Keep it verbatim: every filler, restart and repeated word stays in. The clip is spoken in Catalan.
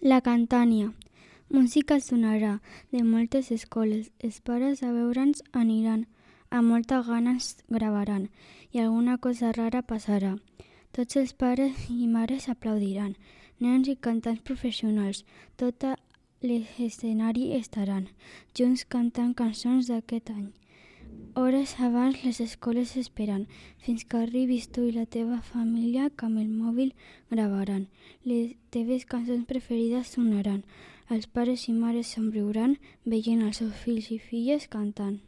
La Cantània. Música sonarà de moltes escoles. Els pares a veure'ns aniran, amb molta gana ens gravaran i alguna cosa rara passarà. Tots els pares i mares aplaudiran. Nens i cantants professionals, tot a l'escenari estaran, junts cantant cançons d'aquest any. Hores abans les escoles esperen, fins que arribis tu i la teva família que amb el mòbil gravaran. Les teves cançons preferides sonaran. Els pares i mares somriuran veient els seus fills i filles cantant.